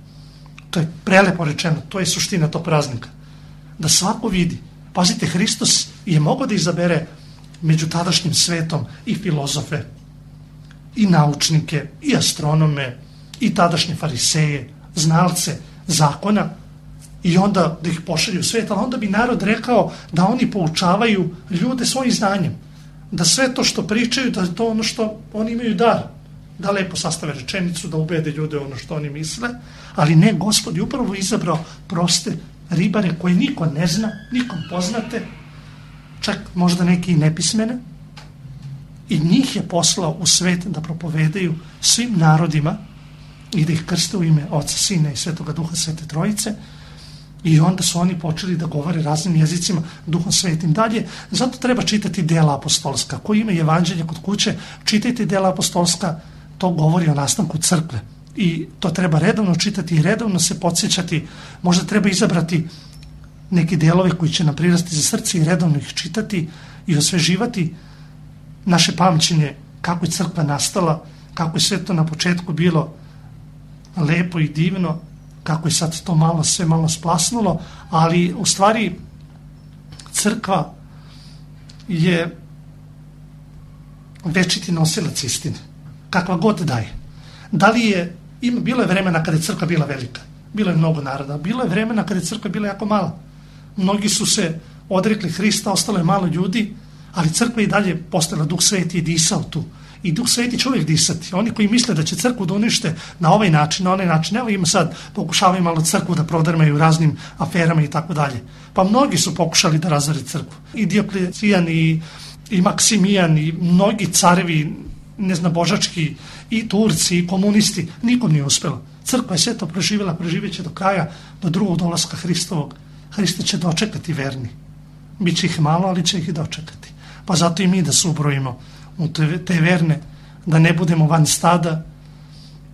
To je prelepo rečeno, to je suština tog praznika. Da svako vidi. Pazite, Hristos je mogao da izabere među tadašnjim svetom i filozofe, i naučnike, i astronome, i tadašnje fariseje, znalce zakona, i onda da ih pošalju u svet, ali onda bi narod rekao da oni poučavaju ljude svojim znanjem, da sve to što pričaju, da je to ono što oni imaju dar, da lepo sastave rečenicu, da ubede ljude ono što oni misle, ali ne, Gospod je upravo izabrao proste ribare koje niko ne zna, nikom poznate, čak možda neki i nepismene, i njih je poslao u svet da propovedaju svim narodima i da ih krste u ime Oca, Sina i Svetoga Duha, Svete Trojice, i onda su oni počeli da govore raznim jezicima, Duhom Svetim dalje. Zato treba čitati dela apostolska. Ko ima evanđelje kod kuće, čitajte dela apostolska, to govori o nastanku crkve. I to treba redovno čitati i redovno se podsjećati. Možda treba izabrati neki delove koji će nam prirasti za srce i redovno ih čitati i osveživati naše pamćenje kako je crkva nastala, kako je sve to na početku bilo lepo i divno, kako je sad to sve malo splasnulo, ali u stvari crkva je večiti nosilac istine, kakva god daje. Da li je, bilo je vremena kada je crkva bila velika, bilo je mnogo naroda, bilo je vremena kada je crkva bila jako mala. Mnogi su se odrekli Hrista, ostalo je malo ljudi, ali crkva i dalje postojala, Duh Sveti je disao tu. I Duh Sveti će uvijek disati. Oni koji misle da će crkvu da unište na ovaj način, na onaj način, evo ima sad, pokušavaju malo crkvu da prodrmaju raznim aferama i tako dalje. Pa mnogi su pokušali da razore crkvu. I Dioklecijan, i Maksimijan, i mnogi carevi, božački, i Turci, i komunisti, nikom nije uspelo. Crkva je sve to preživjela, preživjet će do kraja, do drugog dolaska Hristovog. Hrista će dočekati verni. Biće ih malo, ali će ih i dočekati. Pa zato i mi da se ubrojimo u te verne, da ne budemo van stada,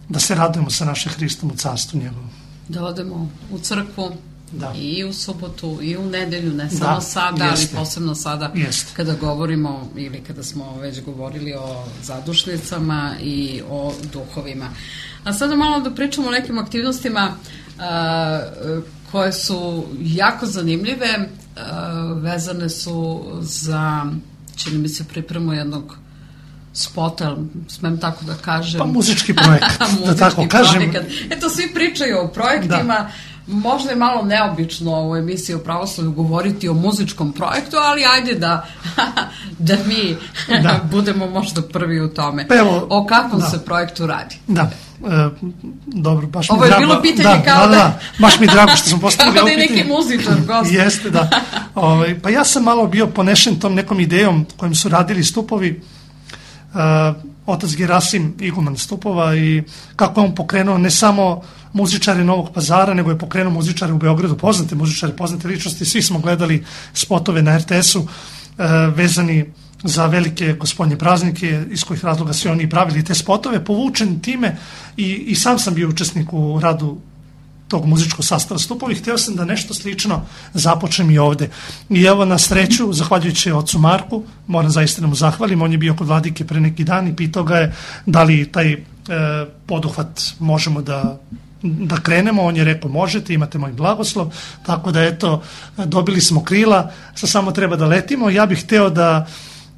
da se radujemo sa našim Hristom u carstvu njegovom. Da odemo u crkvu, da, i u subotu, i u nedelju, ne samo sada, jeste, ali posebno sada, jeste, kada govorimo ili kada smo već govorili o zadušnicama i o duhovima. A sada malo da pričamo o nekim aktivnostima koje su jako zanimljive, vezane su za, čini mi se, pripremu jednog spota, smem tako da kažem. Pa muzički projekat, da tako kažem. Eto, svi pričaju o projektima, da. Možda je malo neobično u emisiji o pravoslavlju govoriti o muzičkom projektu, ali ajde da mi budemo možda prvi u tome. Pa evo, o kakvom se projektu radi? Da, dobro, baš mi ovo drago. Ovo je bilo pitanje kao da, baš mi drago što sam postavili ovo pitanje. Kao da je neki muzičar gost. Jeste, da. Pa ja sam malo bio ponešen tom nekom idejom kojim su radili Stupovi, otac Gerasim, iguman Stupova, i kako je on pokrenuo ne samo muzičare Novog Pazara, nego je pokrenuo muzičare u Beogradu, poznate muzičare, poznate ličnosti. Svi smo gledali spotove na RTS-u vezani za velike gospodnje praznike, iz kojih razloga su oni pravili te spotove, povučen time i sam sam bio učesnik u radu tog muzičkog sastava Stupovi. Hteo sam da nešto slično započnem i ovde. I evo, na sreću, zahvaljujući ocu Marku, moram zaista da mu zahvalim, on je bio kod Vladike pre neki dan i pitao ga je da li taj poduhvat možemo da krenemo. On je rekao možete, imate moj blagoslov, tako da eto, dobili smo krila, samo treba da letimo. Ja bih hteo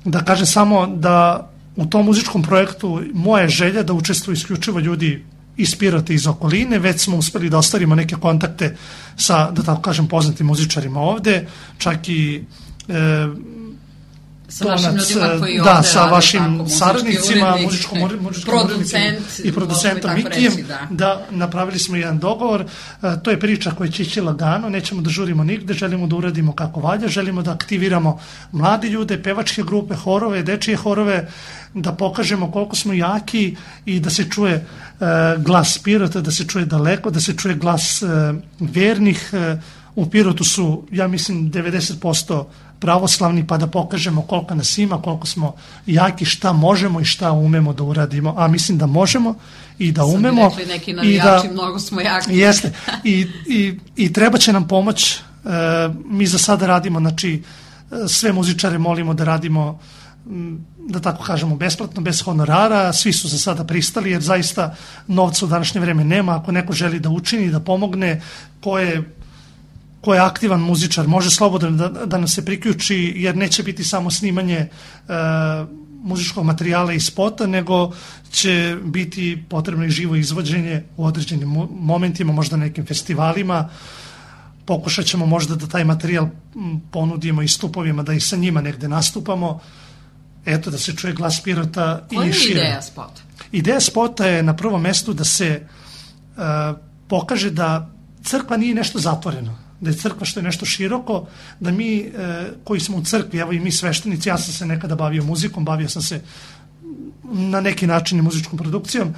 da kažem samo da u tom muzičkom projektu moja je želja da učestvuju isključivo ljudi iz Pirota, iz okoline. Već smo uspeli da ostvarimo neke kontakte sa, da tako kažem, poznatim muzičarima ovde, čak i sa vašim ljudima koji ovde sa vašim tako, saradnicima, muzičkom producent i producentom Mikijem, da napravili smo jedan dogovor. To je priča koja će ići lagano, nećemo da žurimo nigde, želimo da uradimo kako valja, želimo da aktiviramo mladi ljude, pevačke grupe, horove, dečije horove, da pokažemo koliko smo jaki i da se čuje glas Pirota, da se čuje daleko, da se čuje glas vernih. U Pirotu su, ja mislim, 90% pravoslavni, pa da pokažemo koliko nas ima, koliko smo jaki, šta možemo i šta umemo da uradimo. A mislim da možemo i da umemo. Sam rekli neki navijači, mnogo smo jaki. Jeste. I treba će nam pomoć. Mi za sada radimo, znači, sve muzičare molimo da radimo, da tako kažemo, besplatno, bez honorara. Svi su za sada pristali, jer zaista novca u današnje vreme nema. Ako neko želi da učini, da pomogne, ko je aktivan muzičar, može slobodno da nam se priključi, jer neće biti samo snimanje muzičkog materijala i spota, nego će biti potrebno i živo izvođenje u određenim momentima, možda nekim festivalima. Pokušat ćemo možda da taj materijal ponudimo i Stupovima, da i sa njima negde nastupamo. Eto, da se čuje glas Pirota i šire. Koja je ideja spota? Ideja spota je na prvom mestu da se pokaže da crkva nije nešto zatvoreno, da je crkva što je nešto široko, da mi koji smo u crkvi, evo i mi sveštenici, ja sam se nekada bavio muzikom, bavio sam se na neki način i muzičkom produkcijom,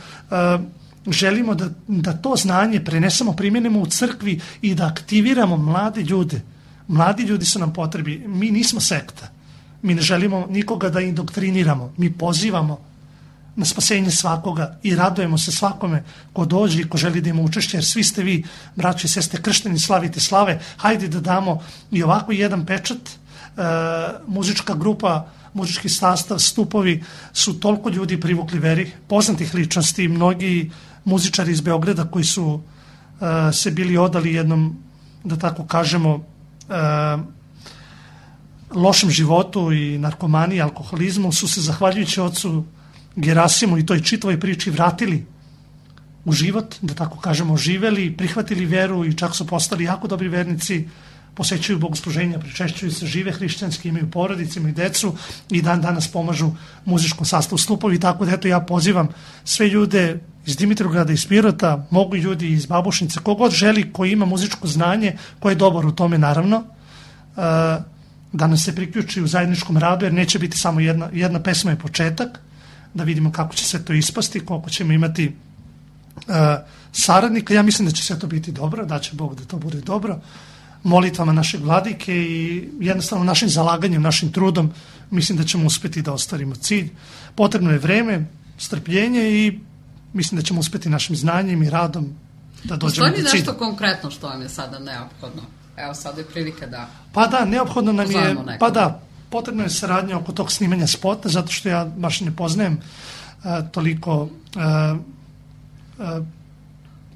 želimo da to znanje prenesemo, primjenimo u crkvi i da aktiviramo mlade ljude. Mladi ljudi su nam potrebi, mi nismo sekta, mi ne želimo nikoga da indoktriniramo, mi pozivamo na spasenje svakoga i radujemo se svakome ko dođe i ko želi da ima učešće, jer svi ste vi, braći i sestre, kršteni, slavite slave. Hajde da damo i ovako jedan pečat. Muzička grupa, muzički sastav Stupovi su toliko ljudi privukli veri, poznatih ličnosti, mnogi muzičari iz Beograda koji su se bili odali jednom, da tako kažemo, lošem životu i narkomaniji, alkoholizmu, su se zahvaljujući ocu Gerasimu i toj čitavoj priči vratili u život, da tako kažemo, živeli, prihvatili veru i čak su postali jako dobri vernici, posećuju bogosluženja, pričešćuju se, žive hrišćanski, imaju porodice, imaju decu i dan danas pomažu muzičkom sastavu Stupovi. Tako da eto, ja pozivam sve ljude iz Dimitrovgrada, iz Pirota, mogu i ljudi iz Babušnice, kogod želi, koji ima muzičko znanje, koji je dobar u tome, naravno, da nas se priključi u zajedničkom radu, jer neće biti samo jedna pesma je početak, da vidimo kako će sve to ispasti, koliko ćemo imati saradnika. Ja mislim da će sve to biti dobro, da će Bog da to bude dobro. Molitvama našeg vladike i jednostavno našim zalaganjem, našim trudom, mislim da ćemo uspeti da ostvarimo cilj. Potrebno je vreme, strpljenje i mislim da ćemo uspeti našim znanjem i radom da dođemo do cilja. Postoji nešto konkretno što vam je sada neophodno? Evo, sada je prilika da... Pa da, neophodno nam je... Pa da, potrebno je saradnja oko tog snimanja spota, zato što ja baš ne poznajem toliko,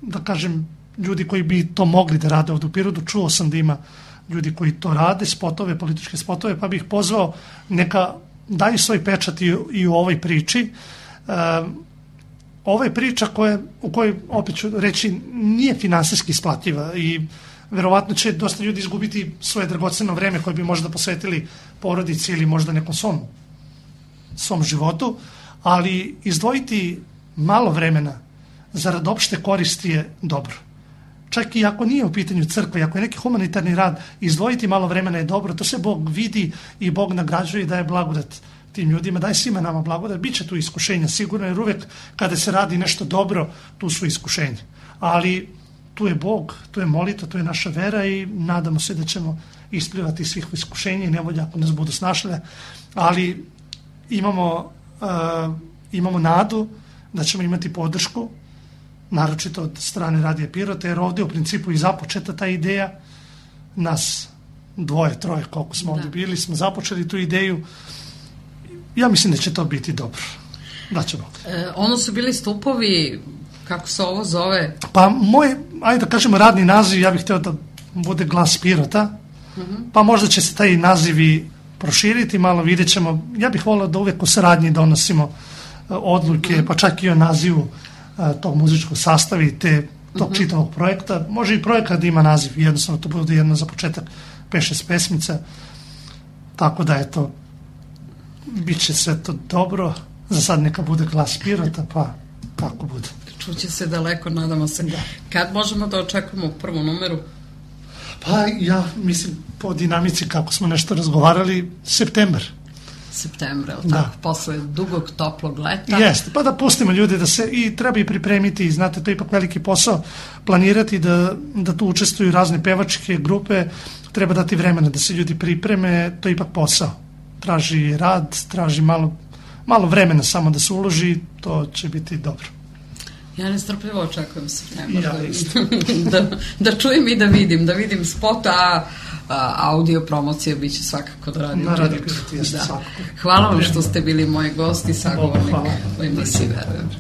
da kažem, ljudi koji bi to mogli da rade ovdje u Pirotu. Čuo sam da ima ljudi koji to rade, spotove, političke spotove, pa bih pozvao neka daju svoj pečat i u ovoj priči. Ovo je priča u kojoj, opet ću reći, nije finansijski isplativa i verovatno će dosta ljudi izgubiti svoje dragoceno vreme koje bi možda posvetili porodici ili možda nekom svom životu, ali izdvojiti malo vremena zarad opšte koristi je dobro. Čak i ako nije u pitanju crkva, i ako je neki humanitarni rad, izdvojiti malo vremena je dobro, to se Bog vidi i Bog nagrađuje i daje blagodat tim ljudima, daje svima nama blagodat, bit će tu iskušenja sigurno, jer uvek kada se radi nešto dobro, tu su iskušenja. Ali tu je Bog, tu je molitva, tu je naša vera i nadamo se da ćemo isplivati svih iskušenja i nevolja ako nas budu snašle, ali imamo nadu da ćemo imati podršku, naročito od strane Radija Pirota, jer ovdje u principu i započeta ta ideja, nas 2, 3, koliko smo ovdje bili, smo započeli tu ideju. Ja mislim da će to biti dobro. Da ćemo. Ono su bili stupovi, kako se ovo zove? Pa moj, ajde da kažemo radni naziv, ja bih htio da bude Glas Pirota, pa možda će se taj nazivi proširiti, malo vidjet ćemo. Ja bih volio da uvek u saradnji donosimo odluke, pa čak i o nazivu tog muzičkog sastava i tog čitavog projekta. Može i projekat da ima naziv, jednostavno to bude jedno za početak 5-6 pesmica, tako da eto, bit će sve to dobro. Za sad neka bude Glas Pirota, pa tako bude. Čuće se daleko, nadamo se. Da. Kad možemo da očekujemo prvu numeru? Pa ja mislim po dinamici kako smo nešto razgovarali, septembar, tako, posle dugog toplog leta. Jeste, pa da pustimo ljude da se, i treba i pripremiti, znate, to je ipak veliki posao, planirati da tu učestvuju razne pevačke grupe, treba dati vremena da se ljudi pripreme, to je ipak posao. Traži rad, traži malo vremena samo da se uloži, to će biti dobro. Ja nestrpljivo očekujem septembar da čujem i da vidim spot, a audio promocija bit će svakako da radim. Hvala vam što ste bili moji gosti, sagovornik u emisiji Verujem.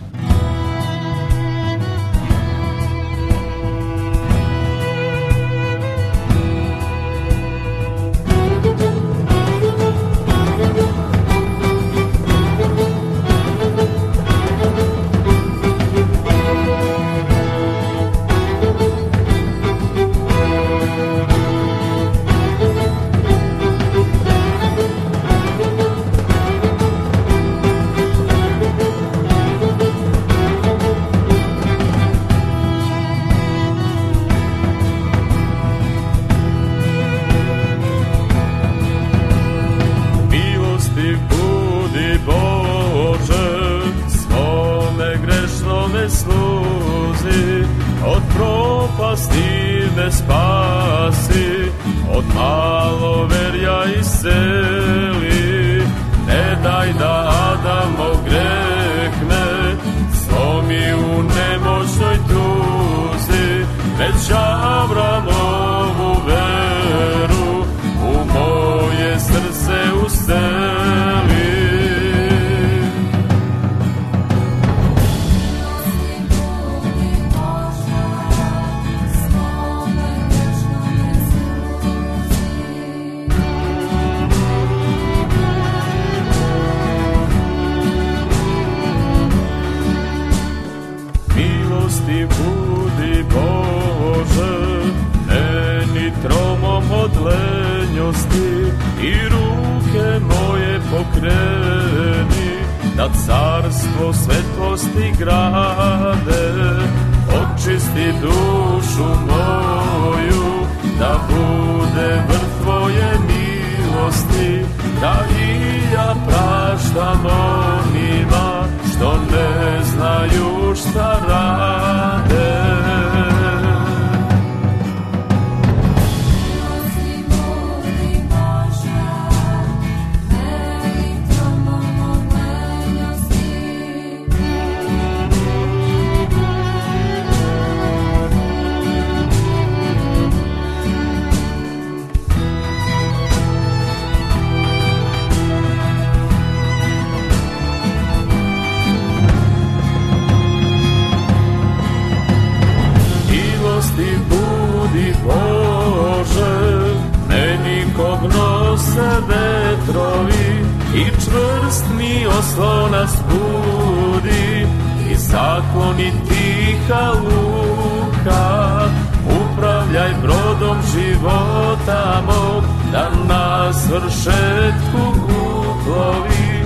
Zakoni tiha luka, upravlja skupljaj brodom života mog, da na svršetku uplovi,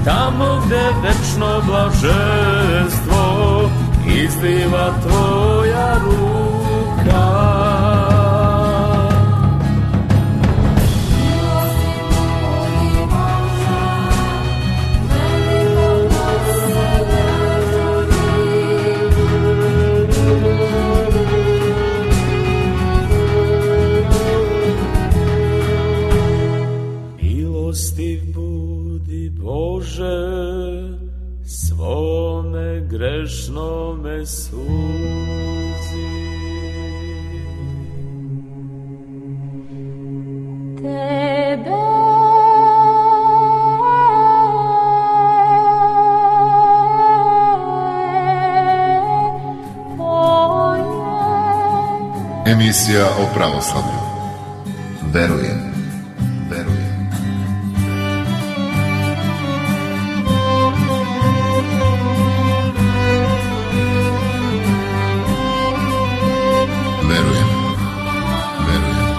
tamo gde večno blaženstvo izliva tvoja ruka. Svome grešnome suzi. Tebe Emisija o pravoslavlju. Verujem. Verujem. Verujem. Verujem.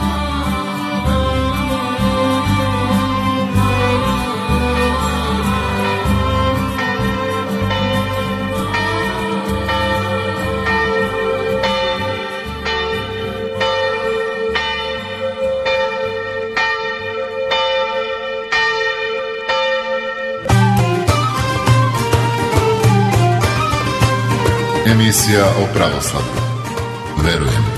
Emisija o pravoslavlju. Verujem.